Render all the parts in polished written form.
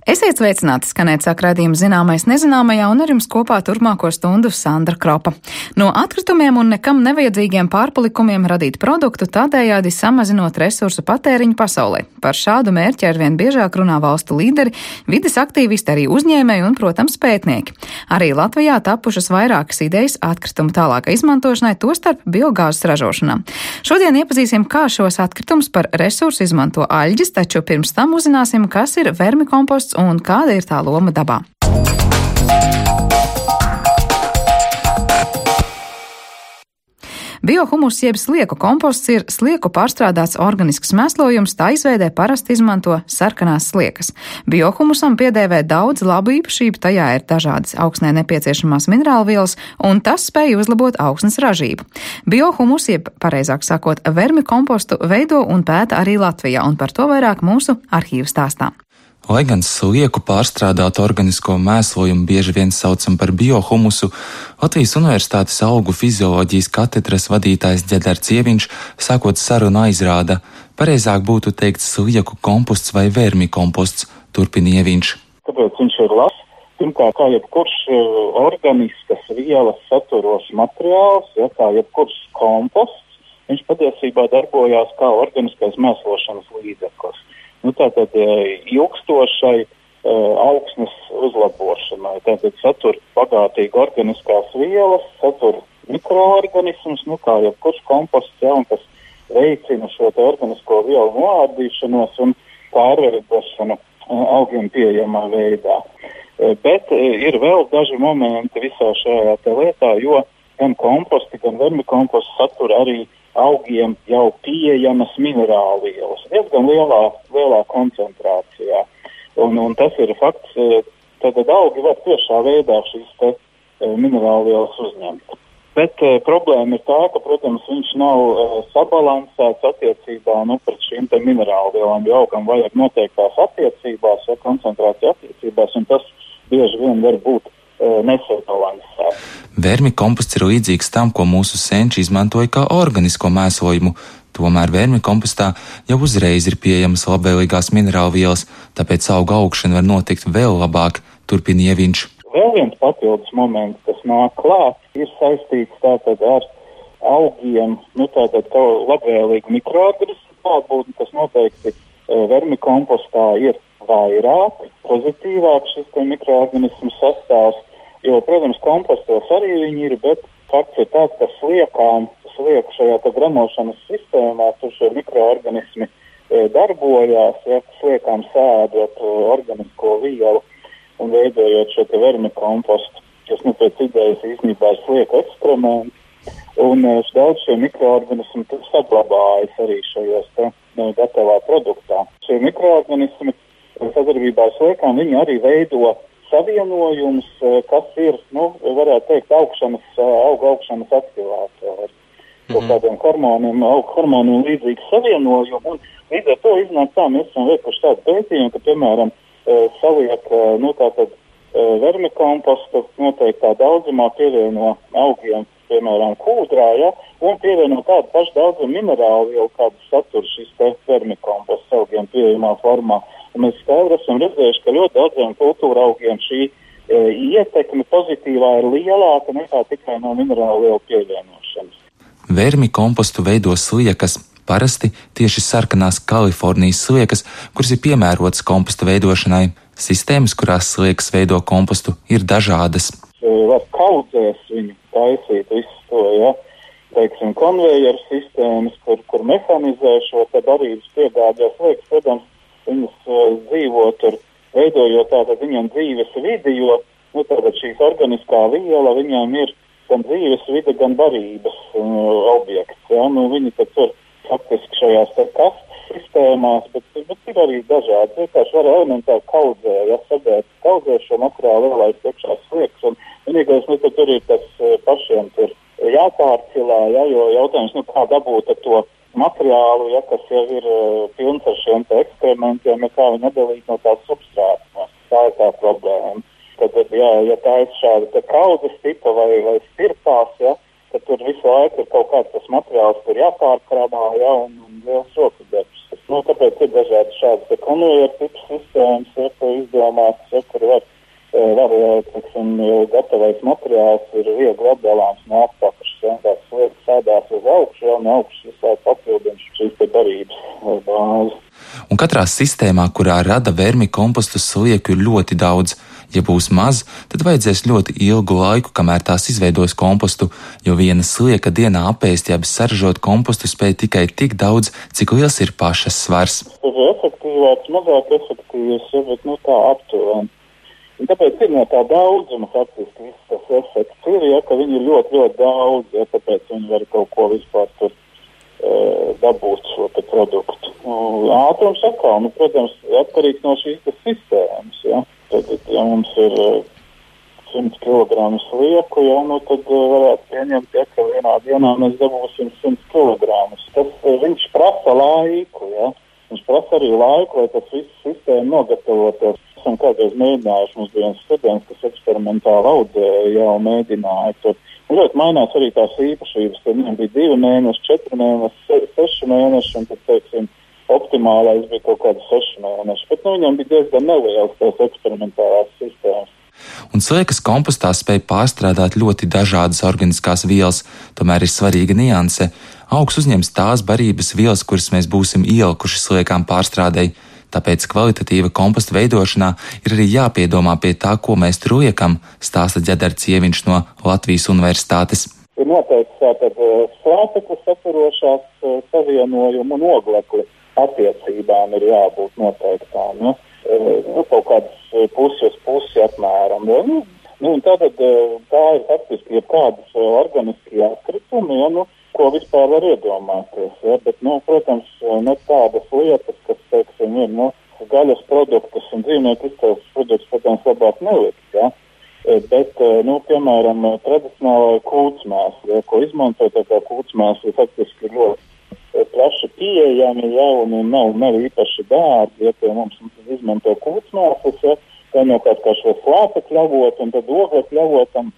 Esiet sveicināti, skanēt sāk raidījuma Zināmais nezināmajā, un ar jums kopā turpmāko stundu Sandra Kropa. No atkritumiem un nekam nevajadzīgiem pārpalikumiem radīt produktu, tādējādi samazinot resursu patēriņu pasaulē. Par šādu mērķi arvien biežāk runā valstu līderi, vides aktīvisti, arī uzņēmēji un, protams, pētnieki. Arī Latvijā tapušas vairākas idejas atkritumu tālākai izmantošanai, tostarp biogāzes ražošanā. Šodien iepazīsim, kā šos atkritumus par resursu izmanto aļģis, taču pirms tam uzzināsim, kas ir vermikomposts un kāda ir tā loma dabā. Biohumus jeb slieku komposts ir slieku pārstrādāts organisks mēslojums, tā izveidē parasti izmanto sarkanās sliekas. Biohumusam piedēvē daudz labu īpašību, tajā ir dažādas augsnē nepieciešamās minerālvielas, un tas spēj uzlabot augsnes ražību. Biohumus, jeb pareizāk sakot, vermikompostu veido un pēta arī Latvijā, un par to vairāk mūsu arhīvu stāstā. Lai gan slieku pārstrādātu organisko mēslojumu bieži vien saucam par biohumusu, Latvijas Universitātes augu fizioloģijas katedras vadītājs Ģedars Cieviņš sākot sarunu aizrāda, pareizāk būtu teikt slieku komposts vai vermikomposts, turpina Ieviņš. Tāpēc viņš ir labs. Pirmkārt, kā jebkurš organiskas vielas saturos materiāls, kā jebkurš komposts, viņš patiesībā darbojās kā organiskais mēslošanas līdzeklis. Tātad ilgstošai augsnes uzlabošanai. Tātad satur bagātīgi organiskās vielas, satur mikroorganismus, kā jebkurš komposts, un kas veicina šo organisko vielu noārdīšanos un pārveidošanu augiem pieejamā veidā. Bet ir vēl daži momenti visā šajā lietā, jo gan komposti, gan vermikomposti satur arī augiem jau pieejamas minerālvielas, diezgan lielā koncentrācijā. Un tas ir fakts, tad augi var tiešā veidā šīs minerālvielas uzņemt. Bet problēma ir tā, ka, protams, viņš nav sabalansēts attiecībā pret šīm minerālvielām, jo augam vajag noteiktās attiecībās, koncentrācija attiecībās, un tas bieži vien var būt nesabalansēts. Vermikomposts ir līdzīgs tam, ko mūsu senči izmantoja kā organisko mēslojumu. Tomēr vermikompostā jau uzreiz ir pieejamas labvēlīgās minerālvielas, tāpēc auga augšana var notikt vēl labāk, turpina Ieviņš. Vēl viens papildus moments, kas nāk klāt, ir saistīts tātad ar augiem, tātad labvēlīgu mikroorganismu klātbūtni, kas noteikti vermikompostā ir vairāk, pozitīvāk šis mikroorganismu sastāvs, jo, protams, kompostos arī viņi ir, bet fakts ir tāds, ka slieku šajā gramošanas sistēmā tur šie mikroorganismi darbojās, sliekām sēdot organisko vielu un veidojot šo vermikompostu, kas pēc idejas īstenībā ir slieku ekskrementi, un daudz šie mikroorganismi saglabājas arī šajos gatavā produktā. Šie mikroorganismi sadarbībā ar sliekām, viņi arī veido savienojumus, kas ir, varētu teikt, auga augšanas aktivātori. Kādiem hormoniem līdzīgi savienojumi, un līdz ar to iznāk tā, mēs esam veikuši tādu pētījumu, ka, piemēram, saliek, vermikompostu noteiktā daudzumā pievieno augiem, piemēram, kūdrā, un pievieno tādu pašu daudzumu minerālvielu, kādu satur šis vermikomposts augiem pieejamā formā. Un mēs skaidri esam redzējuši, ka ļoti daudziem kultūra augiem šī ietekme pozitīvā ir lielāka nekā tikai no minerālvielu pievienošanas. Vermikompostu veido sliekas, parasti tieši sarkanās Kalifornijas sliekas, kuras ir piemērotas komposta veidošanai. Sistēmas, kurās sliekas veido kompostu, ir dažādas. Var kaudzēs viņu taisīt visu to, teiksim, konvejeru sistēmas, kur mehanizē šo barības piegādājās sliekas, protams, viņas dzīvo tur, veidojot tātad viņam dzīves vidi, jo tātad šīs organiskā viela viņām ir gan dzīves vide, gan barības objekts. Viņi tad tur faktiski šajās kastes sistēmās, bet ir arī dažādi. Vienkārši var elementāri kaudzē, sabērt kaudzē šo materiālu lielais iekšā sliekas, un vienīgais, tur ir tas pašiem tur jāpārcilā, jo jautājums, kā dabūt ar to materiālu, kas jau ir pilns ar šiem eksperimentiem, kā viņi nedalīt no tās substrātas. Tā ir tā problēma. Tad, ja tā ir šāda kaudzes tipa vai stirpās, tad tur visu laiku ir kaut kāds tas materiāls, kur jāpārkrāmā, un liels roku darbs. Tāpēc ir dažādi šādas konvejeru tipu sistēmas, ko izdomātas, kur var teiksim, gatavais materiāls ir viegli atdalāms no apakšas, tās lietas sēdās uz augšu, jau no augšas visai papildina šīs te darības vai bāzi. Un katrā sistēmā, kurā rada vermikompostu slieku, ir ļoti daudz. Ja būs maz, tad vajadzēs ļoti ilgu laiku, kamēr tās izveidos kompostu, jo viena slieka dienā apēst, jeb saražot kompostu spēj tikai tik daudz, cik liels ir pašas svars. Tas ir efektīvāks, mazāk efektīvs, bet tā aptuveni. Un tāpēc ir no tā daudzuma faktiski viss tas efekts ir, ka viņi ir ļoti, ļoti daudz, tāpēc viņi var kaut ko vispār tur dabūt šo te produktu. Ātrums atkal, protams, atkarīgs no šīs sistēmas, Tad, ja mums ir 100 kg slieku, tad varētu pieņemt, ka vienā dienā mēs dabūsim 100 kg. Viņš prasa laiku, Viņš prasa arī laiku, lai tas viss sistēma nogatavotos. Esam kādreiz mēģinājuši, mums bija viens students, kas eksperimentāli audzēja, jau mēģināja. Tur ļoti mainās arī tās īpašības. Tad viņam bija 2 mēneši, 4 mēneši, 6 mēneši, un tad, teiksim, optimālais bija kaut kāds 6 mēneši. Bet viņam bija diezgan neliels tās eksperimentālās sistēmas. Un sliekas kompostā spēj pārstrādāt ļoti dažādas organiskās vielas, tomēr ir svarīga nianse. Augs uzņems tās barības vielas, kuras mēs būsim ielikuši sliekām pārstrādei. Tāpēc kvalitatīva komposta veidošanā ir arī jāpiedomā pie tā, ko mēs tur liekam, stāsta Ģedars Cieviņš no Latvijas Universitātes. Ir noteikti tātad slāpekli saturošās savienojumu un oglekli attiecībām ir jābūt noteiktām. Kaut kādas pusi uz pusi apmēram. Un tātad tā ir faktiski jebkādas organiskie atkritumi, ko vispār var iedomāties. Bet, protams, ne tādas lietas, kas, teiksim, ir gaļas produktus un dzīvnieku izcelsmes produktus, protams, labāk nelikt. Bet, piemēram, tradicionālā kūtsmēsla, ko izmanto, tā kā kūtsmēsla faktiski ļoti plaši pieejami, un nav īpaši dārgi, pie mums izmanto kūtsmēslas, vienkārši kā šo slāpekļu avotu un tad oglekļu avotam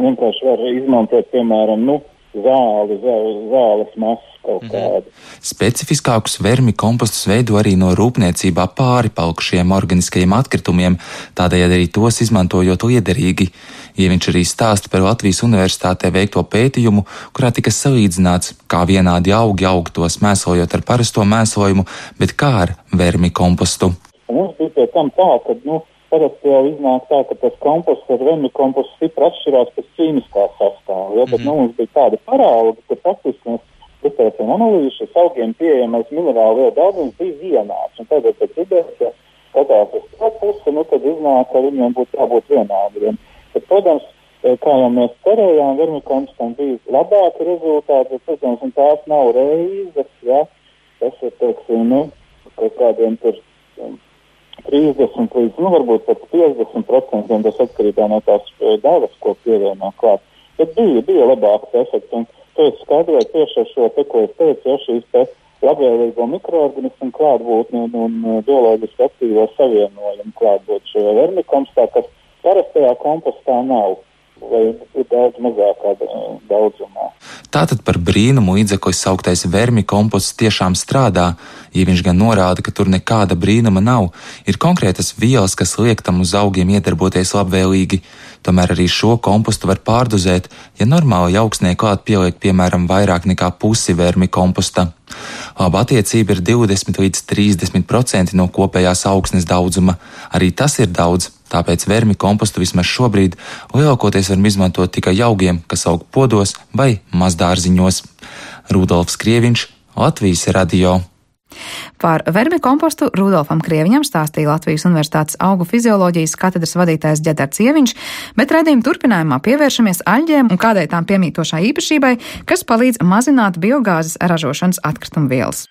vienkārši var izmantot, piemēram, zāles masas kaut kādu. Specifiskākus vermikompostus veido arī no rūpniecībā pāripalikušiem organiskajiem atkritumiem, tādējādi arī tos izmantojot liederīgi. Ieviņš arī stāsta par Latvijas Universitātē veikto pētījumu, kurā tika salīdzināts, kā vienādi augi aug tos mēslojot ar parasto mēslojumu, bet kā ar vermikompostu. Mums bija pie tam tā, ka, parasti jau iznāk tā, ka tas komposts ar vermikompostu stipri atšķirās pēc ķīmiskā sastāvā. Bet mums bija tāda parauga, ka faktiski mēs uztaisījām analīzi, šis augiem pieejamais minerālu vielu daudzums bija vienāds. Un tagad pēc idejas, ja skatās uz to pusi, tad iznāk, ka viņiem būtu jābūt vienādiem. Bet, protams, kā jau mēs cerējām, vermikompostam bija labāki rezultāti, bet, protams, un tās nav reizes, tas ir, teiksim, kaut kādiem tur 30 līdz, varbūt pat 50%, tas atkarībā no tās devas, ko pievienā klāt. Bet bija labāks efekts, un to es skaidroju tieši ar šo, ko es teicu, šīs labvēlīgo mikroorganismu klātbūtni un bioloģiski aktīvo savienojumu klātbūtni šajā vermikompostā, kas parastajā kompostā nav, vai ir daudz mazākā daudzumā. Tātad par brīnumu līdzekli sauktais vermikomposts tiešām strādā, ja viņš gan norāda, ka tur nekāda brīnuma nav. Ir konkrētas vielas, kas liek tam uz augiem iedarboties labvēlīgi. Tomēr arī šo kompostu var pārdozēt, ja normāli augsnē klāt pieliek piemēram vairāk nekā pusi vermikomposta. Laba attiecība ir 20 līdz 30% no kopējās augsnes daudzuma. Arī tas ir daudz, tāpēc vermikompostu vismaz šobrīd lielākoties varam izmantot tikai augiem, kas aug podos vai mazdārziņos. Rudolfs Krieviņš, Latvijas radio. Par vermikompostu Rudolfam Krieviņam stāstīja Latvijas Universitātes augu fizioloģijas katedras vadītājs Ģedars Cieviņš, bet raidījuma turpinājumā pievēršamies aļģēm un kādai tām piemītošai īpašībai, kas palīdz mazināt biogāzes ražošanas atkritumvielas.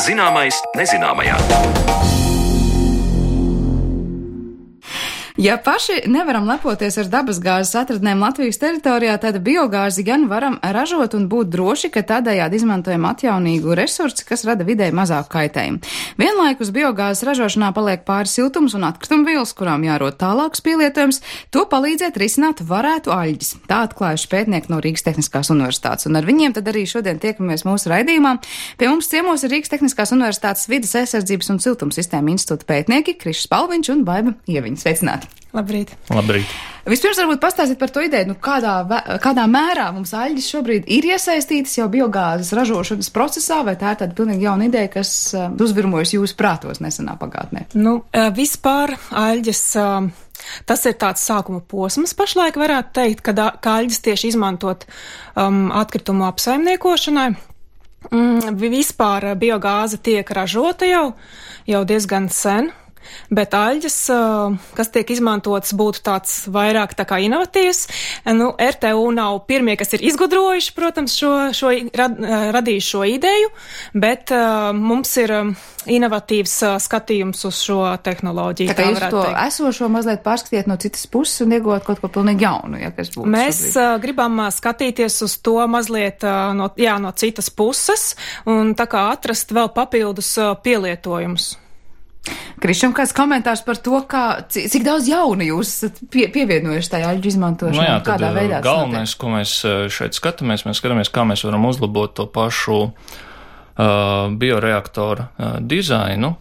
Zināmais nezināmajā. Ja paši nevaram lepoties ar dabasgāzes atradnēm Latvijas teritorijā, tad biogāzi gan varam ražot un būt droši, ka tādējādi izmantojam atjaunīgu resursu, kas rada vidē mazāk kaitējumu. Vienlaikus biogāzes ražošanā paliek pāri siltums un atkritumvielas, kurām jārod tālāks pielietojums. To palīdzēt risināt varētu aļģis. Tā atklājuši pētnieki no Rīgas Tehniskās universitātes. Un ar viņiem tad arī šodien tiekamies mūsu raidījumā. Pie mums ciemos ir Rīgas Tehniskās universitātes vides aizsardzības un siltumsistēma institūta pētnieki Krišs Spalviņš un Baiba Ieviņa. Sveicināti! Labrīt! Labrīt! Vispirms varbūt pastāstīt par to ideju, kādā mērā mums aļģis šobrīd ir iesaistītas jau biogāzes ražošanas procesā, vai tā ir tāda pilnīgi jauna ideja, kas uzvirmojas jūsu prātos nesenā pagātnē? Vispār aļģis, tas ir tāds sākuma posms pašlaik varētu teikt, ka aļģis tieši izmantot atkritumu apsaimniekošanai. Vispār biogāze tiek ražota jau diezgan sen. Bet aļģis, kas tiek izmantots, būtu tāds vairāk tā kā inovatīvs. RTU nav pirmie, kas ir izgudrojuši, protams, radījuši šo ideju, bet mums ir inovatīvs skatījums uz šo tehnoloģiju. Tā jūs to esošo mazliet pārskatiet no citas puses un iegūt kaut ko pilnīgi jaunu, ja kas būtu. Mēs gribam skatīties uz to mazliet no citas puses un tā kā atrast vēl papildus pielietojumus. Krišam, kāds komentārs par to, cik daudz jauna jūs esat pievienojuši tajā aļģu izmantošanā? Kādā veidā? Galvenais, ko mēs šeit skatāmies, kā mēs varam uzlabot to pašu bioreaktora dizainu,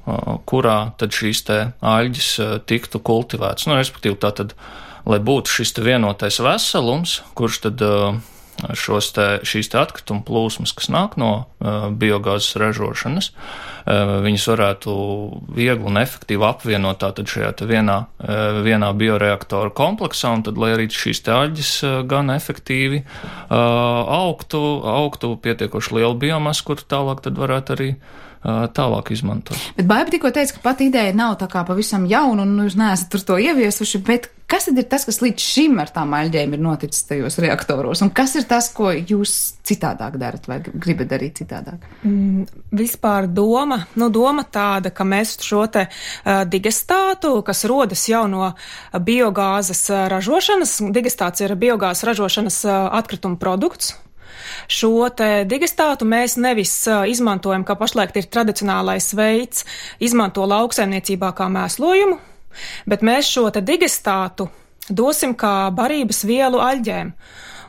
kurā tad šīs te aļģis tiktu kultivēts. Respektīvi tātad, lai būtu šis te vienotais veselums, kurš tad šīs te atkrituma plūsmas, kas nāk no biogāzes ražošanas, viņas varētu viegli un efektīvi apvienot tātad šajā te vienā bioreaktora kompleksā, un tad, lai arī šīs te aļģis gan efektīvi augtu pietiekoši lielu biomasu, kur tālāk tad varētu arī tālāk izmantot. Bet Baiba tikko teica, ka pat ideja nav tā kā pavisam jauna, un jūs neesat tur to ieviesuši, bet kas tad ir tas, kas līdz šim ar tām aļģēm ir noticis tajos reaktoros, un kas ir tas, ko jūs citādāk darat vai gribat darīt citādāk? Vispār doma tāda, ka mēs šo te digestātu, kas rodas jau no biogāzes ražošanas, digestāts ir biogāzes ražošanas atkrituma produkts. Šo te digestātu mēs nevis izmantojam, kā pašlaik ir tradicionālais veids, izmanto lauksaimniecībā kā mēslojumu, bet mēs šo te digestātu dosim kā barības vielu aļģēm.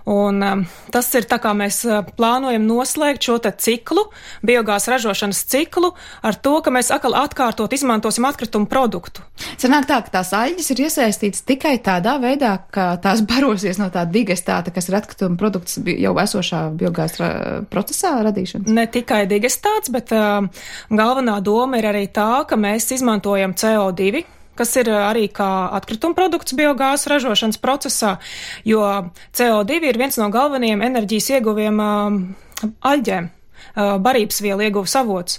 Un tas ir tā, kā mēs plānojam noslēgt šo te ciklu, biogāzes ražošanas ciklu, ar to, ka mēs atkal atkārtot izmantosim atkritumu produktu. Sanāk tā, ka tās aļģes ir iesaistītas tikai tādā veidā, ka tās barosies no tā digestāta, kas ir atkrituma produkts jau esošā biogāzes procesā radīšanas? Ne tikai digestāts, bet galvenā doma ir arī tā, ka mēs izmantojam CO2, kas ir arī kā atkrituma produkts biogāzes ražošanas procesā, jo CO2 ir viens no galvenajiem enerģijas ieguviem aļģēm, barības vielu ieguves avots.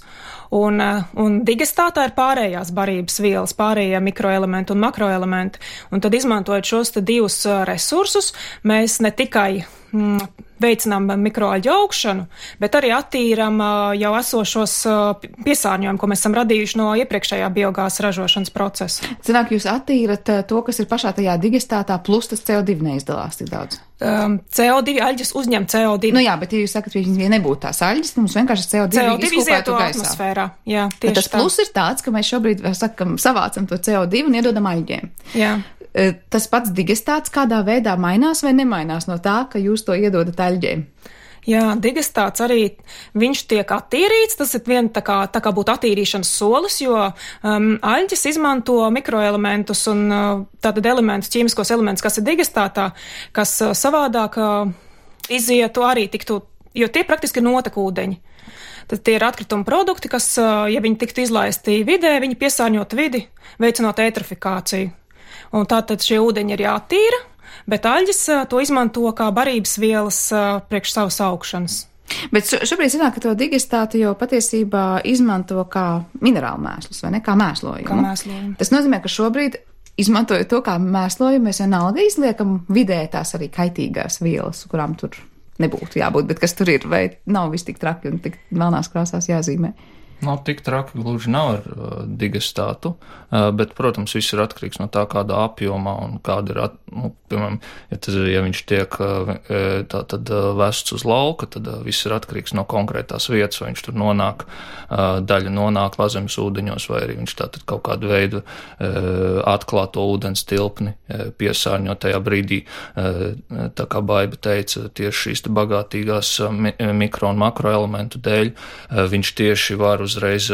Un digestātā ir pārējās barības vielas, pārējie mikroelementi un makroelementi. Un tad izmantojot šos te divus resursus, mēs ne tikai veicinām mikroaļģu augšanu, bet arī attīram jau esošos piesārņojumu, ko mēs esam radījuši no iepriekšējā biogāzes ražošanas procesa. Zināk, jūs attīrat to, kas ir pašā tajā digestātā, plus tas CO2 neizdalās tik daudz. CO2 aļģes uzņem CO2. Jā, bet ja jūs sakat, ka ja nebūtu tās aļģes, mums vienkārši CO2 izietu atmosfērā. Jā, tieši tas plus ir tāds, ka mēs šobrīd savācam to CO2 un iedodam aļģēm. Jā. Tas pats digestāts kādā veidā mainās vai nemainās no tā, ka jūs to iedodat aļģēm? Jā, digestāts arī, viņš tiek attīrīts, tas ir vien tā kā būtu attīrīšanas solis, jo aļģes izmanto mikroelementus un tātad elementus, ķīmiskos elementus, kas ir digestātā, kas savādāk izietu arī tiktu, jo tie praktiski ir notekūdeņi. Tad tie ir atkrituma produkti, kas, ja viņi tiktu izlaisti vidē, viņi piesārņot vidi, veicinot eitrofikāciju. Un tātad šie ūdeņi ir jātīra, bet aļģes to izmanto kā barības vielas priekš savas augšanas. Bet šobrīd zināk, ka to digestātu jau patiesībā izmanto kā minerālu mēslus, vai ne? Kā mēslojumu. Kā mēslojumu. Tas nozīmē, ka šobrīd, izmantojot to kā mēslojumu, mēs vienalga izliekam vidē tās arī kaitīgās vielas, kurām tur nebūtu jābūt, bet kas tur ir, vai nav viss tik traki un tik melnās krāsās jāzīmē? Nav tik traki, gluži nav ar digestātu, bet, protams, viss ir atkarīgs no tā, kādā apjomā un kāda ir, piemēram, ja viņš tiek tātad vests uz lauka, tad viss ir atkarīgs no konkrētās vietas, vai viņš tur nonāk, daļa nonāk pazemes ūdeņos, vai arī viņš tātad kaut kādu veidu atklāto ūdens tilpni piesārņo tajā brīdī, tā kā Baiba teica, tieši šīs bagātīgās mikro un makroelementu dēļ, viņš tieši var uzreiz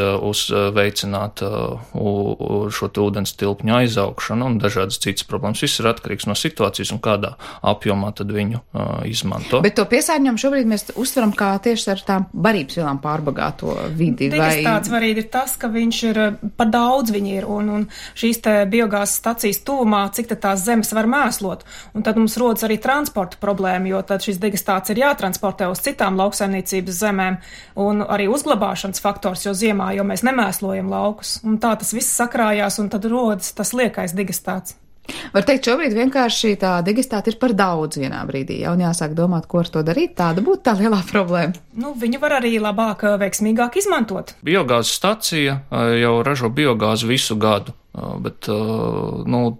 veicināt šo ūdens tilpņu aizaugšanu un dažādas citas problēmas. Viss ir atkarīgs no situācijas un kādā apjomā tad viņu izmanto. Bet to piesārņojumu šobrīd mēs uztveram kā tieši ar tām barības vielām pārbagāto vidi. Digestāts varīgi ir tas, ka viņš ir par daudz viņi ir un šīs te biogāzes stacijas tuvumā, cik tad tās zemes var mēslot. Un tad mums rodas arī transporta problēma, jo tad šis digestāts ir jātransportē uz citām lauksaimniecības zemēm un arī uzglabāšanas faktors, jo ziemā, jo mēs nemēslojam laukus. Un tā tas viss sakrājās, un tad rodas tas liekais digestāts. Var teikt, šobrīd vienkārši tā digestāta ir par daudz vienā brīdī, jau jāsāk domāt, ko ar to darīt, tāda būtu tā lielā problēma. Viņu var arī labāk, veiksmīgāk izmantot. Biogāzes stacija jau ražo biogāzi visu gadu. Bet,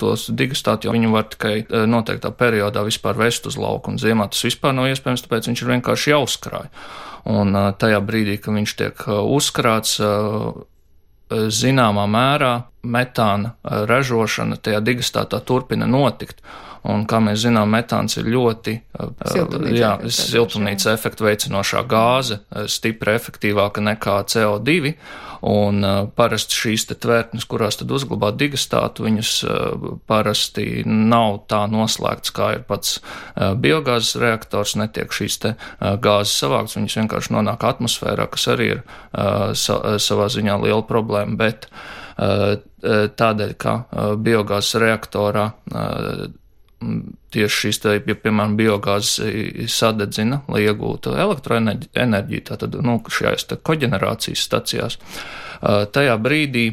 tos digestāti jau viņu var tikai noteiktā periodā vispār vest uz lauku, un ziemā tas vispār nav iespējams, tāpēc viņš ir vienkārši jāuzkrāj. Un tajā brīdī, kad viņš tiek uzkrāts, zināmā mērā metāna ražošana tajā digestātā turpina notikt. Un, kā mēs zinām, metāns ir ļoti siltumnīca efektu veicinošā gāze, stipri efektīvāka nekā CO2, un parasti šīs te tvertnes, kurās tad uzglabā digestātu, viņas parasti nav tā noslēgts, kā ir pats biogāzes reaktors, netiek šīs te gāzes savākts, viņas vienkārši nonāk atmosfērā, kas arī ir savā ziņā liela problēma, bet tādēļ, ka biogāzes reaktorā tieši šīs, ja, piemēram, biogāzes sadedzina, lai iegūtu elektroenerģiju, tātad, šajās koģenerācijas stacijās, tajā brīdī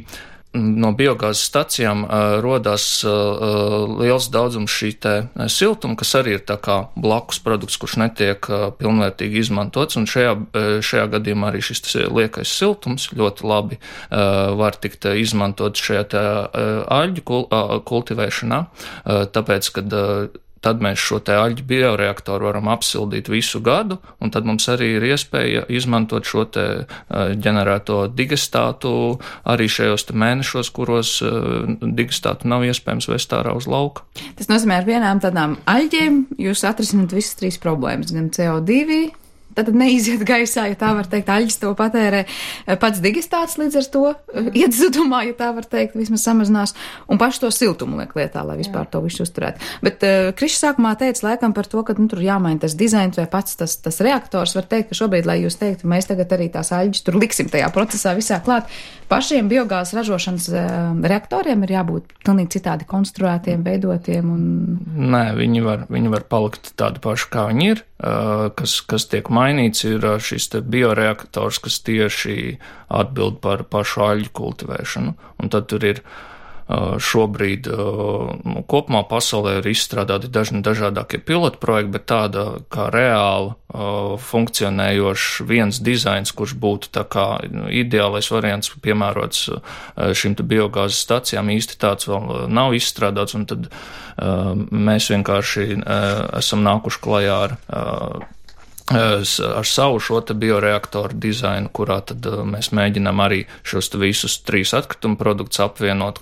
no biogāzes stacijām rodās liels daudzums šī te siltuma, kas arī ir tā kā blakus produkts, kurš netiek pilnvērtīgi izmantots, un šajā gadījumā arī šis liekais siltums ļoti labi var tikt izmantot šajā te aļģu kultivēšanā, tāpēc, kad tad mēs šo te aļģu bioreaktoru varam apsildīt visu gadu, un tad mums arī ir iespēja izmantot šo te ģenerēto digestātu arī šajos te mēnešos, kuros digestātu nav iespējams vest ārā uz lauka. Tas nozīmē, ar vienām tādām aļģiem jūs atrisināt visas trīs problēmas, gan CO2, tad neiziet gaisā, ja tā var teikt, aļģis to patērē, pats digestāts līdz ar to iet zudumā, ja tā var teikt, vismaz samazinās, un paši to siltumu liek lietā, lai vispār to visu uzturētu. Bet Krišs sākumā teica laikam par to, ka tur jāmaina tas dizains vai pats tas reaktors, var teikt, ka šobrīd, lai jūs teiktu, mēs tagad arī tās aļģis tur liksim tajā procesā visā klāt, pašiem biogāzes ražošanas reaktoriem ir jābūt pilnīgi citādi konstruētiem, veidotiem un... Nē, viņi var palikt tādi paši, kā viņi ir, kas tiek mainīts, ir šis te bioreaktors, kas tieši atbild par pašu aļģu kultivēšanu, un tad tur ir šobrīd kopumā pasaulē ir izstrādāti dažādākie pilotprojekti, bet tāda kā reāli funkcionējošs viens dizains, kurš būtu tā kā ideālais variants piemērots šim te biogāzes stacijām, īsti tāds vēl nav izstrādāts, un tad mēs vienkārši esam nākuši klajā ar savu šo te bioreaktoru dizainu, kurā tad mēs mēģinām arī šos te visus trīs atkrituma produktus apvienot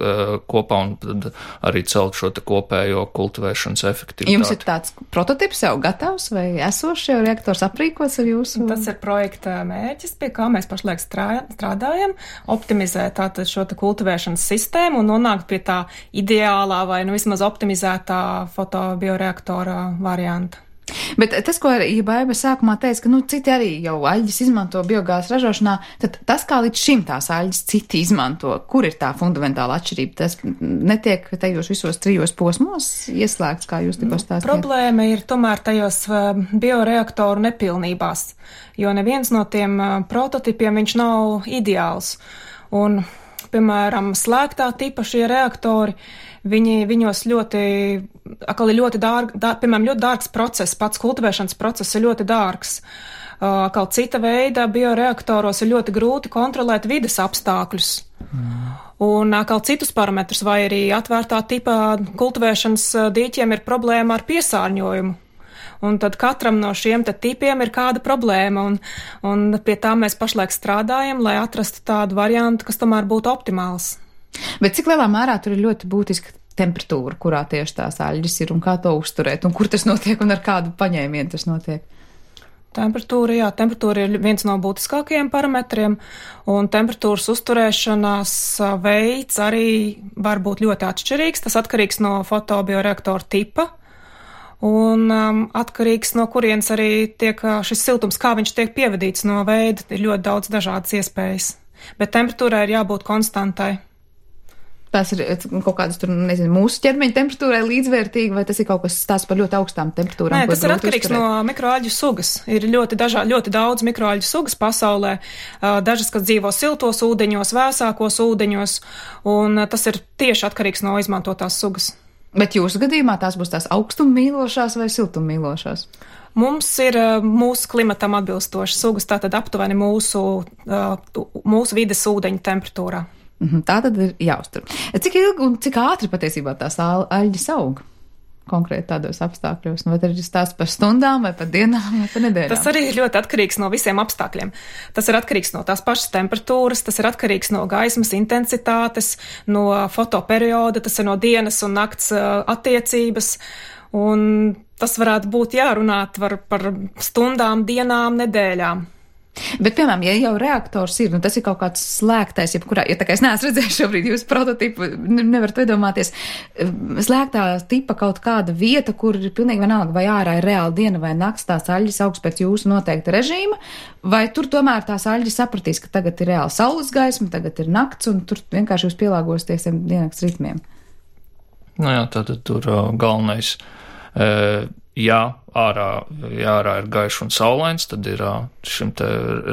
kopā un tad arī celt šo te kopējo kultivēšanas efektivitāti. Jums ir tāds prototips jau gatavs vai esošs jau reaktors aprīkots ar jūsu? Tas ir projekta mērķis, pie kā mēs pašlaik strādājam, optimizēt tātad šo te kultivēšanas sistēmu un nonākt pie tā ideālā vai vismaz optimizētā fotobioreaktora varianta. Bet tas, ko arī Baiba sākumā teica, ka citi arī jau aļģis izmanto biogāzes ražošanā, tad tas, kā līdz šim tās aļģis citi izmanto, kur ir tā fundamentāla atšķirība? Tas netiek tajos visos trijos posmos ieslēgts, kā jūs tikko stāstījāt? Problēma ir tomēr tajos bioreaktoru nepilnībās, jo neviens no tiem prototipiem viņš nav ideāls. Un, piemēram, slēgtā tipa šie reaktori, viņos piemēram, ļoti dārgs process, pats kultivēšanas process ir ļoti dārgs. Kaut cita veida bioreaktoros ir ļoti grūti kontrolēt vides apstākļus. Un kaut citus parametrus, vai arī atvērtā tipa kultivēšanas dīķiem ir problēma ar piesārņojumu. Un tad katram no šiem tipiem ir kāda problēma, un pie tā mēs pašlaik strādājam, lai atrastu tādu variantu, kas tomēr būtu optimāls. Bet cik lielā mērā tur ir ļoti būtiska temperatūra, kurā tieši tās aļģes ir un kā to uzturēt, un kur tas notiek un ar kādu paņēmienu tas notiek? Temperatūra ir viens no būtiskākajiem parametriem, un temperatūras uzturēšanās veids arī var būt ļoti atšķirīgs. Tas atkarīgs no fotobioreaktora tipa. Un atkarīgs no kurienes arī tiek šis siltums, kā viņš tiek pievadīts no veida, ir ļoti daudz dažādas iespējas. Bet temperatūrai ir jābūt konstantai. Tas ir kaut kādas tur, nezinu, mūsu ķermeņa temperatūrai līdzvērtīgi, vai tas ir kaut kas stāsts par ļoti augstām temperatūrām? Nē, tas ir atkarīgs no mikroalģu sugas. Ir ļoti daudz mikroalģu sugas pasaulē, dažas, kas dzīvo siltos ūdeņos, vēsākos ūdeņos, un tas ir tieši atkarīgs no izmantotās sugas. Bet jūsu gadījumā tās būs tās augstummīlošās vai siltummīlošās? Mums ir mūsu klimatam atbilstošas sugas, tātad aptuveni mūsu vides ūdeņu temperatūrā. Tā tad ir jāuztur. Cik ilgi un cik ātri patiesībā tās aļģes aug? Konkrēti tādos apstākļos, vai tas ir stāsts par stundām, vai par dienām, vai par nedēļām? Tas arī ir ļoti atkarīgs no visiem apstākļiem. Tas ir atkarīgs no tās pašas temperatūras, tas ir atkarīgs no gaismas intensitātes, no fotoperioda, tas ir no dienas un nakts attiecības, un tas varētu būt jārunāt par stundām, dienām, nedēļām. Bet, piemēram, ja jau reaktors ir, tas ir kaut kāds slēgtais, jebkurā, ja tā kā es neesmu redzējis šobrīd jūsu prototipu, nevarat iedomāties, slēgtā tipa kaut kāda vieta, kur ir pilnīgi vienalga, vai ārā ir reāli diena vai nakts, tās aļģes augs pēc jūsu noteikta režīma, vai tur tomēr tās aļģes sapratīs, ka tagad ir reāli saules gaisma, tagad ir nakts, un tur vienkārši jūs pielāgosties tiem diennakts ritmiem? Tātad tur galvenais, ja ārā ir gaišs un saulains, tad ir šim te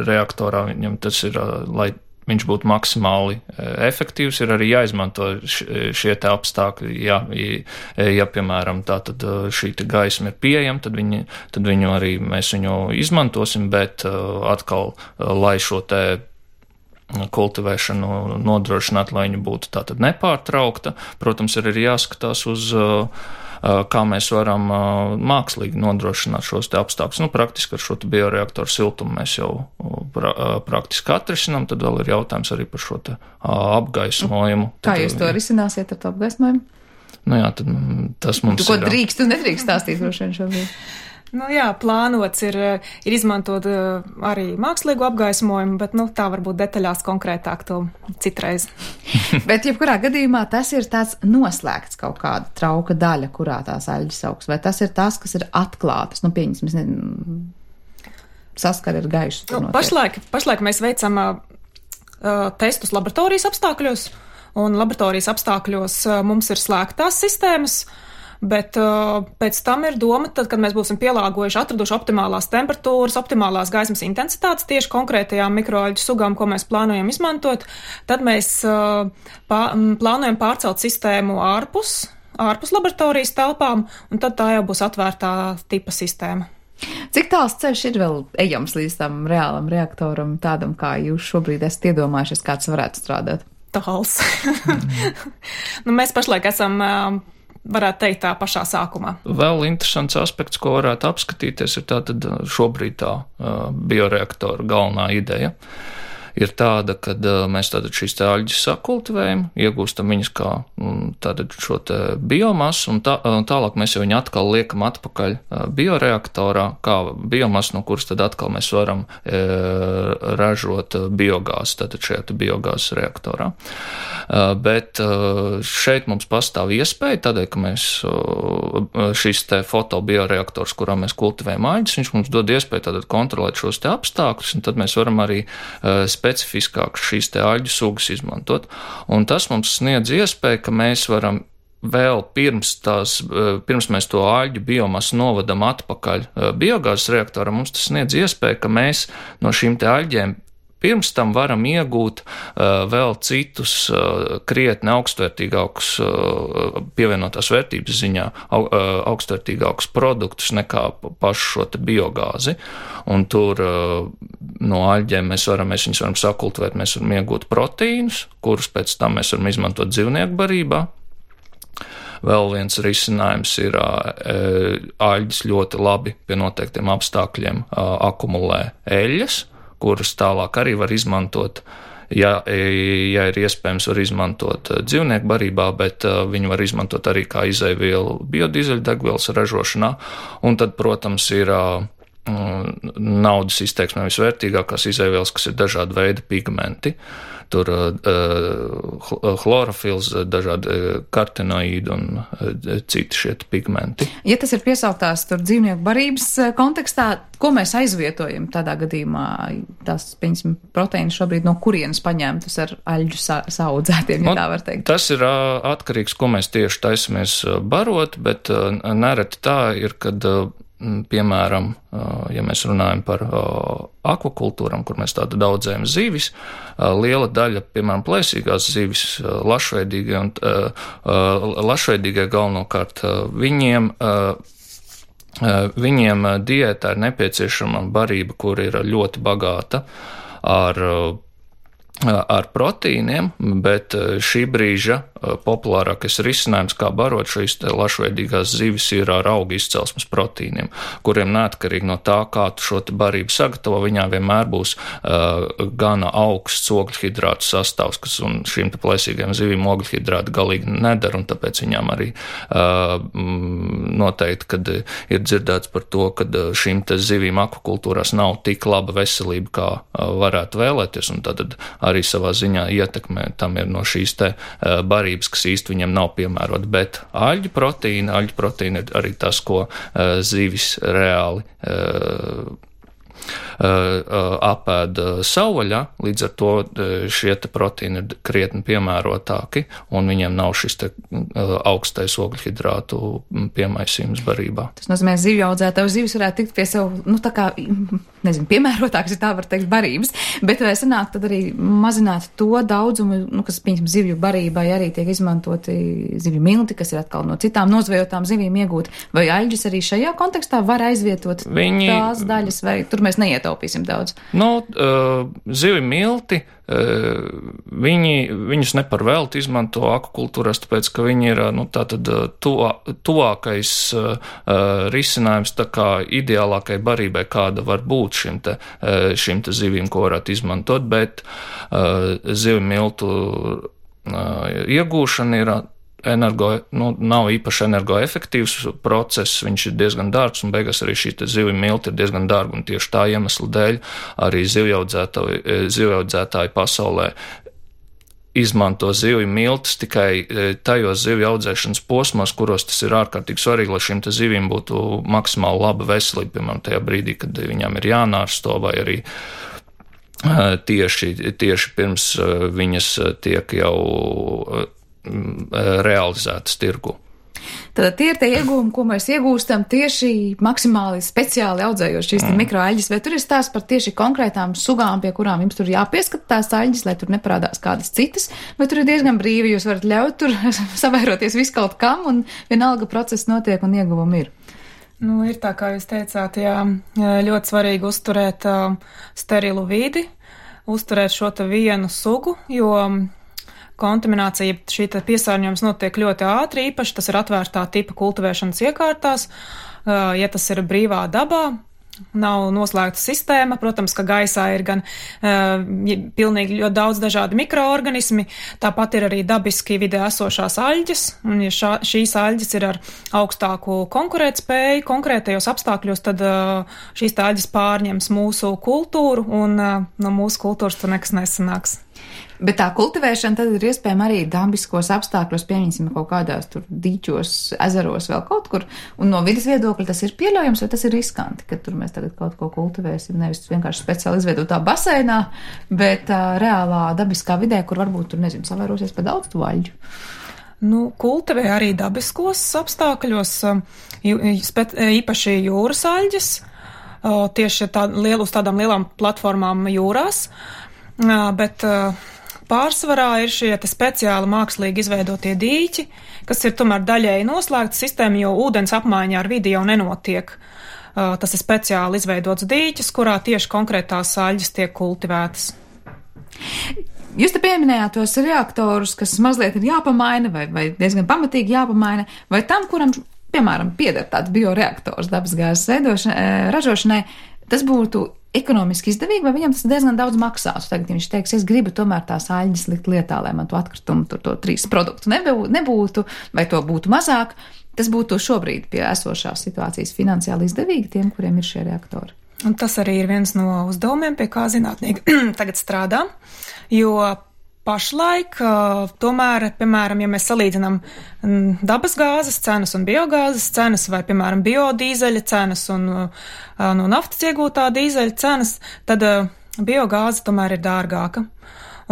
reaktorā, viņam tas ir, lai viņš būtu maksimāli efektīvs, ir arī jāizmanto šie te apstākļi. Ja piemēram, tātad šī te gaisma ir pieejama, tad viņu arī mēs viņu izmantosim, bet atkal, lai šo te kultivēšanu nodrošināt, lai viņa būtu tātad nepārtraukta, protams, ir arī jāskatās uz kā mēs varam mākslīgi nodrošināt šos te apstākļus. Praktiski ar šo te bioreaktoru siltumu mēs jau praktiski atrisinām, tad vēl ir jautājums arī par šo te apgaismojumu. Kā jūs to risināsiet ar to apgaismojumu? Tad tas mums ir. Ko drīkst un nedrīkst stāstīt droši vien šobrīd? Plānots ir izmantot arī mākslīgu apgaismojumu, bet tā varbūt detaļās konkrētāk to citreiz. Bet jebkurā gadījumā tas ir tāds noslēgts kaut kāda trauka daļa, kurā tās aļģes augs, vai tas ir tas, kas ir atklātas, pieņemsim, saskari ar gaišu. Pašlaik mēs veicam testus laboratorijas apstākļos, un laboratorijas apstākļos mums ir slēgtās sistēmas. Bet pēc tam ir doma, tad, kad mēs būsim pielāgojuši, atraduši optimālās temperatūras, optimālās gaismas intensitātes tieši konkrētajām mikroalģu sugām, ko mēs plānojam izmantot, tad mēs plānojam pārcelt sistēmu ārpus laboratorijas telpām, un tad tā jau būs atvērtā tipa sistēma. Cik tāls ceļš ir vēl ejams līdz tam reālam reaktoram, tādam, kā jūs šobrīd esat iedomājušies, kāds varētu strādāt? Tāls. Mēs pašlaik esam varētu teikt tā pašā sākumā. Vēl interesants aspekts, ko varētu apskatīties, ir tātad šobrīd tā bioreaktora galvenā ideja. Ir tāda, kad mēs tātad šīs te aļģes sakultivējam, iegūstam viņas kā tātad šo te biomasu, un tālāk mēs jau viņu atkal liekam atpakaļ bioreaktorā, kā biomasu, no kuras tad atkal mēs varam ražot biogāzi, tātad šajā te biogāzes reaktorā. Bet šeit mums pastāv iespēja, tādēļ, ka mēs šīs te fotobioreaktors, kurā mēs kultivējam aļģes, viņš mums dod iespēju tātad kontrolēt šos te apstākļus, un tad mēs varam arī specifiskāk šīs te aļģu sugas izmantot. Un tas mums sniedz iespēju, ka mēs varam vēl pirms mēs to aļģu biomasu novadam atpakaļ biogāzes reaktoram, mums tas sniedz iespēju, ka mēs no šīm te aļģēm pirms tam varam iegūt vēl citus krietni augstvērtīgākus, pievienotās vērtības ziņā augstvērtīgākus produktus nekā pašu šo te biogāzi. Un tur no aļģēm mēs viņus varam sakultivēt, mēs varam iegūt proteīnus, kurus pēc tam mēs varam izmantot dzīvnieku barībā. Vēl viens risinājums ir aļģes ļoti labi pie noteiktiem apstākļiem akumulē eļļas, kuras tālāk arī var izmantot, ja ir iespējams, var izmantot dzīvnieku barībā, bet viņi var izmantot arī kā izejvielu biodīzeļdegvielas ražošanā. Un tad, protams, ir naudas izteiksmē visvērtīgākās izejvielas, kas ir dažādi veidi pigmenti. Tur chlorofils, dažādi kartinoīdi un citi šie pigmenti. Ja tas ir piesauktās tur dzīvnieku barības kontekstā, ko mēs aizvietojam tādā gadījumā? Tās, piemēram, proteīnas šobrīd no kurienes paņemtas ar aļģu saaudzētiem, ja tā var teikt? Tas ir atkarīgs, ko mēs tieši taisamies barot, bet nereti tā ir, kad piemēram, ja mēs runājam par akvakultūram, kur mēs tādu audzējam zivis, liela daļa, piemēram, plēsīgās zivis, lašveidīgie galvenokārt, viņiem diētā ir nepieciešama barība, kur ir ļoti bagāta ar proteīniem, bet šī brīža populārākais risinājums, kā barot šīs lašveidīgās zivis, ir ar augu izcelsmes proteīniem, kuriem neatkarīgi no tā, kā tu šo te barību sagatavo, viņā vienmēr būs gana augsts ogļhidrātu sastāvs, kas un šīm te plēsīgajām zivīm ogļhidrāti galīgi nedara, un tāpēc viņām arī noteikti, kad ir dzirdēts par to, ka šīm te zivīm akvakultūrās nav tik laba veselība, kā varētu vēlēties, un tad arī savā ziņā ietekmē tam ir no šīs te barības, kas īsti viņam nav piemērota, bet aļģu proteīna ir arī tas, ko zivis reāli apēda savvaļā, līdz ar to šie te proteīni ir krietni piemērotāki, un viņiem nav šis te augstais ogļhidrātu piemaisījums barībā. Tas nozīmē, zivju audzētāju zivis varētu tikt pie sev, tā kā, piemērotāks, ja tā var teikt, barības, bet vai sanāk tad arī mazināt to daudzumu, kas, piemēram, zivju barībai arī tiek izmantoti zivju milti, kas ir atkal no citām nozvejotām zivīm iegūt, vai aļģes arī šajā kontekstā var aizvietot tās daļas, vai tur mēs neietaupīsim daudz? Zivju milti, viņus neparvēlti izmanto akvakultūrās, tāpēc, ka viņi ir, tuvākais risinājums tā kā ideālākai barībai, kāda var būt šim te zivīm, ko varētu izmantot, bet zivju miltu iegūšana ir nav īpaši energoefektīvs process, viņš ir diezgan dārgs, un beigās arī šī zivju milti ir diezgan dārga, un tieši tā iemesla dēļ arī zivjaudzētāji pasaulē izmanto zivju miltus tikai tajos zivju audzēšanas posmos, kuros tas ir ārkārtīgi svarīgi, lai šīm te zivīm būtu maksimāli laba veselība, piemēram, tajā brīdī, kad viņām ir jānārsto, vai arī tieši pirms viņas tiek jau realizētas tirgu. Tad tie ir tie iegūmi, ko mēs iegūstam tieši maksimāli speciāli audzējot šīs mikroaļģes, vai tur ir stāsts par tieši konkrētām sugām, pie kurām jums tur jāpieskata tās aļģes, lai tur neparādās kādas citas, vai tur ir diezgan brīvi, jūs varat ļaut tur savairoties visu kaut kam, un vienalga process notiek un ieguvumi ir? Ir tā, kā jūs teicāt, ļoti svarīgi uzturēt sterilu vidi, uzturēt šo te vienu sugu, jo kontaminācija, šī piesārņojums notiek ļoti ātri, īpaši tas ir atvērtā tipa kultivēšanas iekārtās, ja tas ir brīvā dabā, nav noslēgta sistēma, protams, ka gaisā ir gan pilnīgi ļoti daudz dažādi mikroorganismi, tāpat ir arī dabiski vidē esošās aļģes, un ja šīs aļģes ir ar augstāku konkurētspēju konkrētajos apstākļos, tad šīs aļģes pārņems mūsu kultūru, un no mūsu kultūras tur nekas nesanāks. Bet tā kultivēšana tad ir iespējama arī dabiskos apstākļos, pieņemsim kaut kādās tur dīķos, ezeros vēl kaut kur, un no vidas viedokļa tas ir pieļaujams, vai tas ir riskanti, ka tur mēs tagad kaut ko kultivēsim, nevis vienkārši speciāli izveidotā baseinā, bet reālā dabiskā vidē, kur varbūt tur, savērosies pa daudz to aļģu. Kultivē arī dabiskos apstākļos, īpaši jūras aļģes, tieši uz tādām lielām platformām jūrās. bet pārsvarā ir šie speciāli mākslīgi izveidotie dīķi, kas ir tomēr daļēji noslēgta sistēma, jo ūdens apmaiņā ar vidi jau nenotiek. Tas ir speciāli izveidots dīķis, kurā tieši konkrētās aļģes tiek kultivētas. Jūs te pieminējāt tos reaktorus, kas mazliet ir jāpamaina vai diezgan pamatīgi jāpamaina, vai tam, kuram, piemēram, pieder tāds bioreaktors dabasgāzes ražošanai, tas būtu ekonomiski izdevīgi, vai viņam tas diezgan daudz maksās? Tagad viņš teiks, es gribu tomēr tās aļģes likt lietā, lai man to atkritumu, to 3 produktu nebūtu, vai to būtu mazāk. Tas būtu šobrīd pie esošās situācijas finansiāli izdevīgi tiem, kuriem ir šie reaktori. Un tas arī ir viens no uzdevumiem, pie kā zinātnieki tagad strādā, jo pašlaik tomēr, piemēram, ja mēs salīdzinām dabasgāzes cenas un biogāzes cenas, vai, piemēram, biodīzeļa cenas un no naftas iegūtā dīzeļa cenas, tad biogāze tomēr ir dārgāka.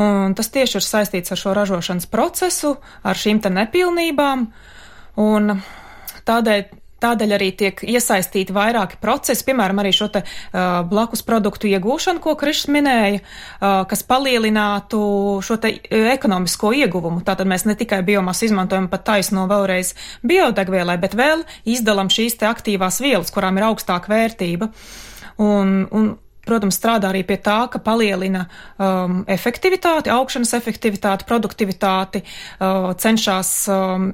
Un tas tieši ir saistīts ar šo ražošanas procesu, ar šīm te nepilnībām, un tādēļ arī tiek iesaistīti vairāki procesi, piemēram, arī šo te blakus produktu iegūšanu, ko Krišs minēja, kas palielinātu šo te ekonomisko ieguvumu. Tātad mēs ne tikai biomasu izmantojam pat taisno vēlreiz biodegvielai, bet vēl izdalam šīs te aktīvās vielas, kurām ir augstāka vērtība. Un protams, strādā arī pie tā, ka palielina efektivitāti, augšanas efektivitāti, produktivitāti, cenšas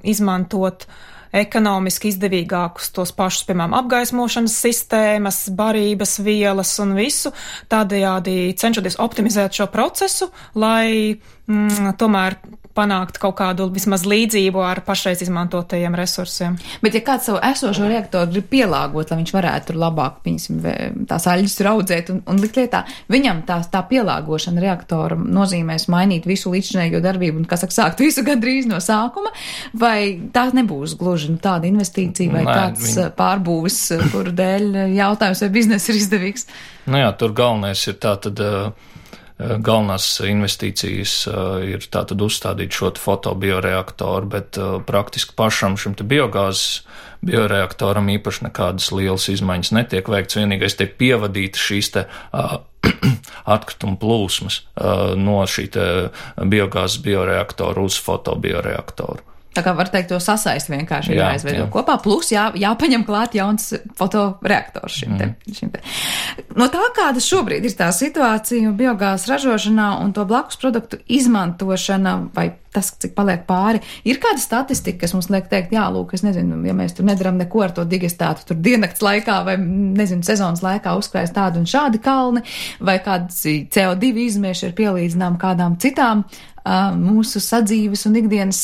izmantot ekonomiski izdevīgākus tos pašus, piemēram, apgaismošanas sistēmas, barības vielas un visu, tādējādi cenšoties optimizēt šo procesu, lai tomēr panākt kaut kādu vismaz līdzību ar pašreiz izmantotajiem resursiem. Bet ja kāds savu esošo reaktoru grib pielāgot, lai viņš varētu tur labāk, tās aļģes tur audzēt un likt lietā, viņam tā pielāgošana reaktora nozīmēs mainīt visu līdzinējo darbību un, kā saka, sākt visu gandrīz no sākuma, vai tā nebūs gluži tāda investīcija vai kāds pārbūvis, kuru dēļ jautājums, vai bizness ir izdevīgs? Nu jā, tur galvenais ir tātad galvenās investīcijas ir tātad uzstādīt šo fotobioreaktoru, bet praktiski pašam šim te biogāzes bioreaktoram īpaši nekādas lielas izmaiņas netiek veikts. Vienīgais tiek pievadīta šīs te atkrituma plūsmas no šī te biogāzes bioreaktoru uz fotobioreaktoru. Tā kā var teikt, to sasaist vienkārši jāizveido kopā, plus jāpaņem klāt jauns fotoreaktors šim te. No tā, kāda šobrīd ir tā situācija biogāzes ražošanā un to blakus produktu izmantošana, vai tas, cik paliek pāri, ir kāda statistika, kas mums liek teikt, jā, lūk, es nezinu, ja mēs tur nedaram neko ar to digestētu, tur diennakts laikā vai, nezinu, sezonas laikā uzkrājas tādi un šādi kalni, vai kāds CO2 izmeši ir pielīdzinām kādām citām mūsu sadzīves un ikdienas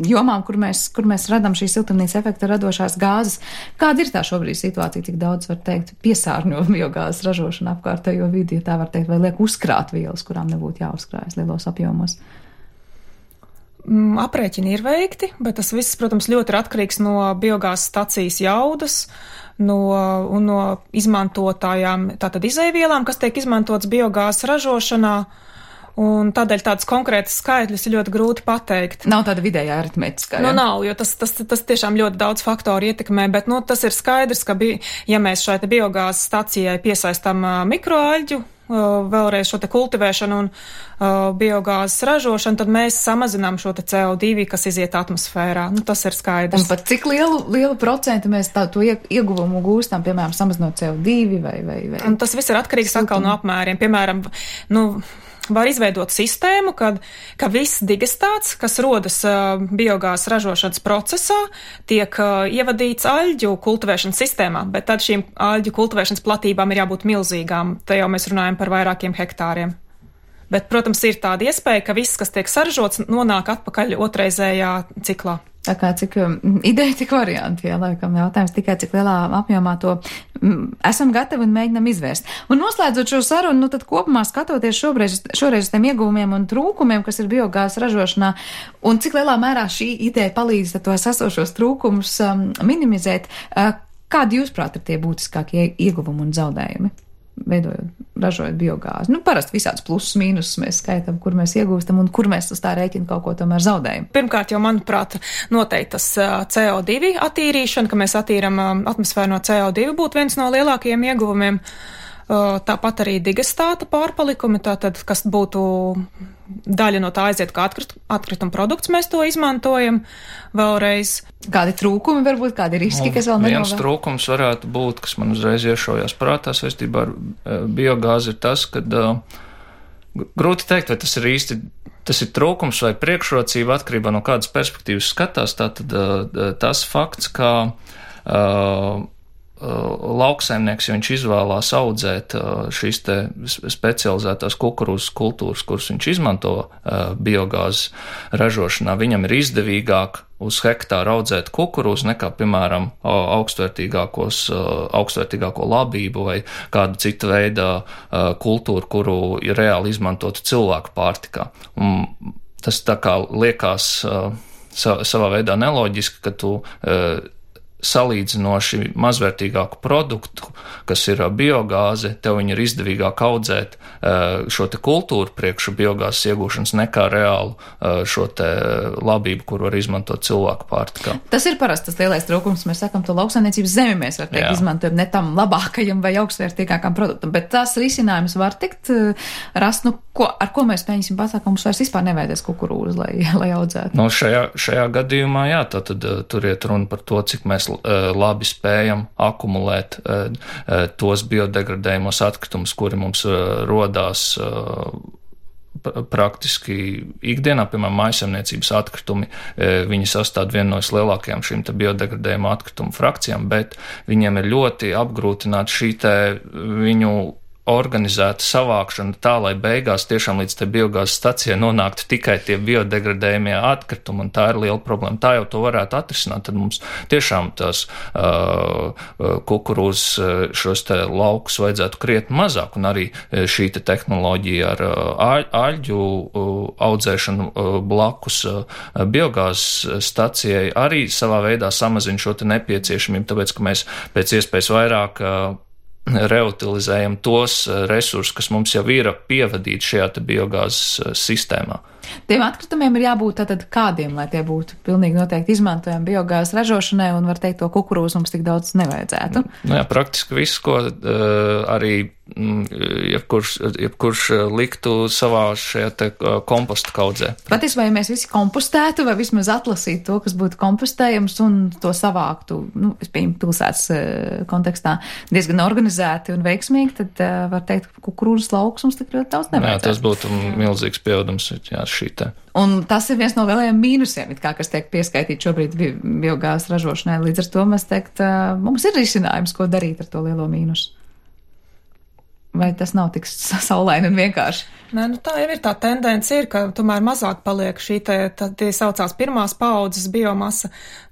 jomām, kur mēs radam šīs siltumnīca efekta radošās gāzes. Kāda ir tā šobrīd situācija, cik daudz, var teikt, piesārņo biogāzes ražošana apkārtējo vidi, ja tā var teikt, vai liek uzkrāt vielas, kurām nebūtu jāuzkrājas lielos apjomos? Aprēķini ir veikti, bet tas viss, protams, ļoti ir atkarīgs no biogāzes stacijas jaudas, no izmantotājām, tātad izejvielām, kas tiek izmantotas biogāzes ražošanā. Un tādēļ tādas konkrētas skaitļus ir ļoti grūti pateikt. Nav tāda vidējā aritmētiskā. Nav, jo tas tiešām ļoti daudz faktoru ietekmē, bet tas ir skaidrs, ka ja mēs šai biogāzes stacijai piesaistam mikroaļģu, vēlreiz šo te kultivēšanu un biogāzes ražošanu, tad mēs samazinām šo te CO2, kas iziet atmosfērā. Tas ir skaidrs. Un pat cik lielu procentu mēs to ieguvumu gūstam, piemēram, samazinot CO2 vai? Un tas viss ir atkarīgs atkal no apmēriem. Piemēram, var izveidot sistēmu, ka viss digestāts, kas rodas biogāzes ražošanas procesā, tiek ievadīts aļģu kultivēšanas sistēmā, bet tad šīm aļģu kultivēšanas platībām ir jābūt milzīgām. Te jau mēs runājam par vairākiem hektāriem. Bet, protams, ir tāda iespēja, ka viss, kas tiek saražots, nonāk atpakaļ otrreizējā ciklā. Tā kā cik ideja, tik varianti, laikam jautājums tikai cik lielā apjomā to esam gatavi un mēģinam izvērst. Un noslēdzot šo sarunu, tad kopumā skatoties šoreiz uz tiem ieguvumiem un trūkumiem, kas ir biogāzes ražošanā, un cik lielā mērā šī ideja palīdz tos esošos trūkumus minimizēt, kādi jūsprāt ir tie būtiskākie ieguvumi un zaudējumi? Ražojot biogāzi. Parasti visāds plusus, mīnusus mēs skaitam, kur mēs iegūstam un kur mēs uz tā rēķina kaut ko tomēr zaudējam. Pirmkārt, jau, manuprāt, noteikti tas CO2 attīrīšana, ka mēs attīram atmosfēru no CO2, būtu viens no lielākajiem ieguvumiem. tāpat arī digestāta pārpalikumi, tātad, kas būtu daļa no tā aiziet kā atkrituma produkts, mēs to izmantojam vēlreiz. Kādi trūkumi varbūt, kādi riski, kas vēl nenovērst? Viens trūkums varētu būt, kas man uzreiz iešaujās prātā saistībā ar biogāzi, ir tas, ka grūti teikt, vai tas ir īsti, tas ir trūkums vai priekšrocība atkarībā no kādas perspektīvas skatās. Tātad tas fakts, ka lauksaimnieks, ja viņš izvēlās audzēt šīs te specializētās kukurūzas kultūras, kuras viņš izmanto biogāzes ražošanā, viņam ir izdevīgāk uz hektāru audzēt kukurūzu nekā, piemēram, augstvērtīgāko labību vai kādu citu veidu kultūru, kuru ir reāli izmantotu cilvēku pārtikā. Un tas tā kā liekas savā veidā neloģiski, ka tu salīdzinoši mazvērtīgāku produktu, kas ir biogāze, tev viņi ir izdevīgāk audzēt šo te kultūru priekšu biogāzes iegūšanas nekā reālu šo te labību, kur var izmantot cilvēku pārtikā. Tas ir parasti tas lielais trūkums. Mēs sakam, to lauksaimniecības zemi mēs var teikt izmantojam ne tam labākajam vai augstvērtīgākam produktam, bet tās risinājums var tikt rast, ar ko mēs mēģināsim pasākt, ka mums vairs vispār nevajadzēs kukurūzu, lai audzētu. No šajā gadījumā, tad tur iet runa par to, cik mēs labi spējam akumulēt tos biodegradējumos atkritumus, kuri mums rodās praktiski ikdienā, piemēram, mājsaimniecības atkritumi, viņi sastāv vienu no lielākajām šīm te biodegradējumu atkritumu frakcijām, bet viņiem ir ļoti apgrūtināta šī te viņu organizēta savākšana tā, lai beigās tiešām līdz te biogāzes stacijai nonāktu tikai tie biodegradējumie atkritumi, un tā ir liela problēma. Tā jau to varētu atrisināt, tad mums tiešām tās kukurūzas šos te laukus vajadzētu krietni mazāk, un arī šī te tehnoloģija ar aļģu audzēšanu blakus biogāzes stacijai arī savā veidā samazina šo te nepieciešamību, tāpēc, ka mēs pēc iespējas vairāk reutilizējam tos resursus, kas mums jau ir pievadīti šajā te biogāzes sistēmā. Tiem atkritumiem ir jābūt tātad kādiem, lai tie būtu pilnīgi noteikti izmantojami biogāzes ražošanai, un var teikt, to kukurūzu mums tik daudz nevajadzētu. Jā, praktiski viss, ko arī jebkurš liktu savā šajā te komposta kaudzē. Patiesībā, ja mēs visi kompostētu vai vismaz atlasītu to, kas būtu kompostējams un to savāktu, es pieņemu pilsētas kontekstā diezgan organizēti un veiksmīgi, tad var teikt, ka kukurūzas lauks mums tik ļoti daudz nevajadzētu. Jā, tas būtu milzīgs pieaudums, jā, šī te. Un tas ir viens no lielajiem mīnusiem, kas tiek pieskaitīts šobrīd biogāzes ražošanai. Līdz ar to mēs teikt, mums ir risinājums, ko darīt ar to lielo mīnusu. Vai tas nav tik saulaini un vienkārši? Nē, tā jau ir tā tendence, ka tomēr mazāk paliek šī tie saucās pirmās paaudzes biomasa,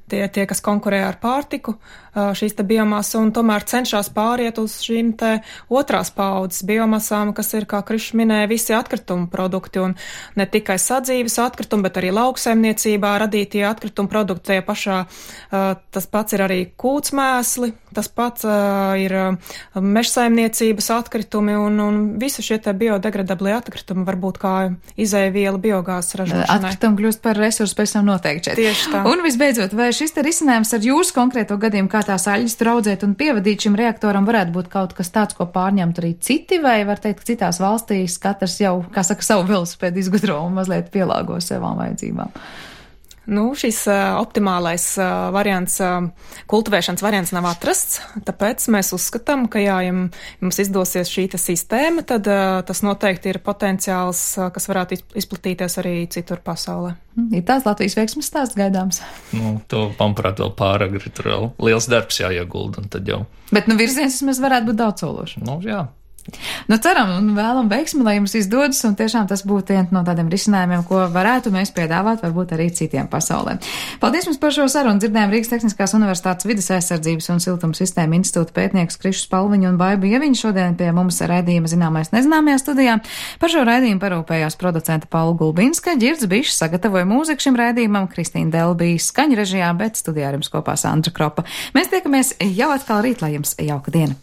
tie, kas konkurē ar pārtiku, šīs te biomasa, un tomēr cenšas pāriet uz šīm te otrās paaudzes biomasām, kas ir, kā Krišs minēja, visi atkritumu produkti, un ne tikai sadzīves atkritumi, bet arī lauksaimniecībā radītie atkritumu produkti tie pašā, tas pats ir arī kūtsmēsli, tas pats ir mežsaimniecības atkritumi, un visi šie te biodegradablie atkritumi var būt kā izēviela biogāzes ražošanai. Atkritumi kļūst par resursu pēc tam noteikti šeit. Tieši tā. Un visbeidzot, vai šis te risinājums ar jūsu konkrēto gadījumu, kā tās aļģes tur audzēt un pievadīt šim reaktoram, varētu būt kaut kas tāds, ko pārņemt arī citi, vai var teikt, ka citās valstīs katrs jau, kā saka, savu velosipēdu izgudro un mazliet pielāgo savām vajadzībām? Šis optimālais variants, kultivēšanas variants nav atrasts, tāpēc mēs uzskatām, ka ja mums izdosies šī sistēma, tad tas noteikti ir potenciāls, kas varētu izplatīties arī citur pasaulē. Ir tās Latvijas veiksmes stāsts gaidāms? To, manuprāt, vēl pāragri, tur vēl liels darbs jāiegulda, un tad jau. Bet, virziens vismaz varētu būt daudz sološs. Jā. Ceram un vēlam veiksmi, lai jums izdodas, un tiešām tas būtu viens no tādiem risinājumiem, ko varētu mēs piedāvāt varbūt arī citiem pasaulē. Paldies jums par šo sarunu. Dzirdējām Rīgas Tehniskās universitātes vides aizsardzības un siltuma sistēma institūta pētniekus Krišu Spalviņu un Baibu Ieviņu šodien pie mums raidījuma Zināmais nezināmajā studijā. Par šo raidījumu parūpējās producenta Paula Gulbinska, Ģirds Bišs sagatavoja mūziku šim raidījumam, Kristīna Delbija skaņu režijā, bet studijā ar jums kopā Sandra Kropa. Mēs tiekamies jau atkal rīt, lai jums jauka diena.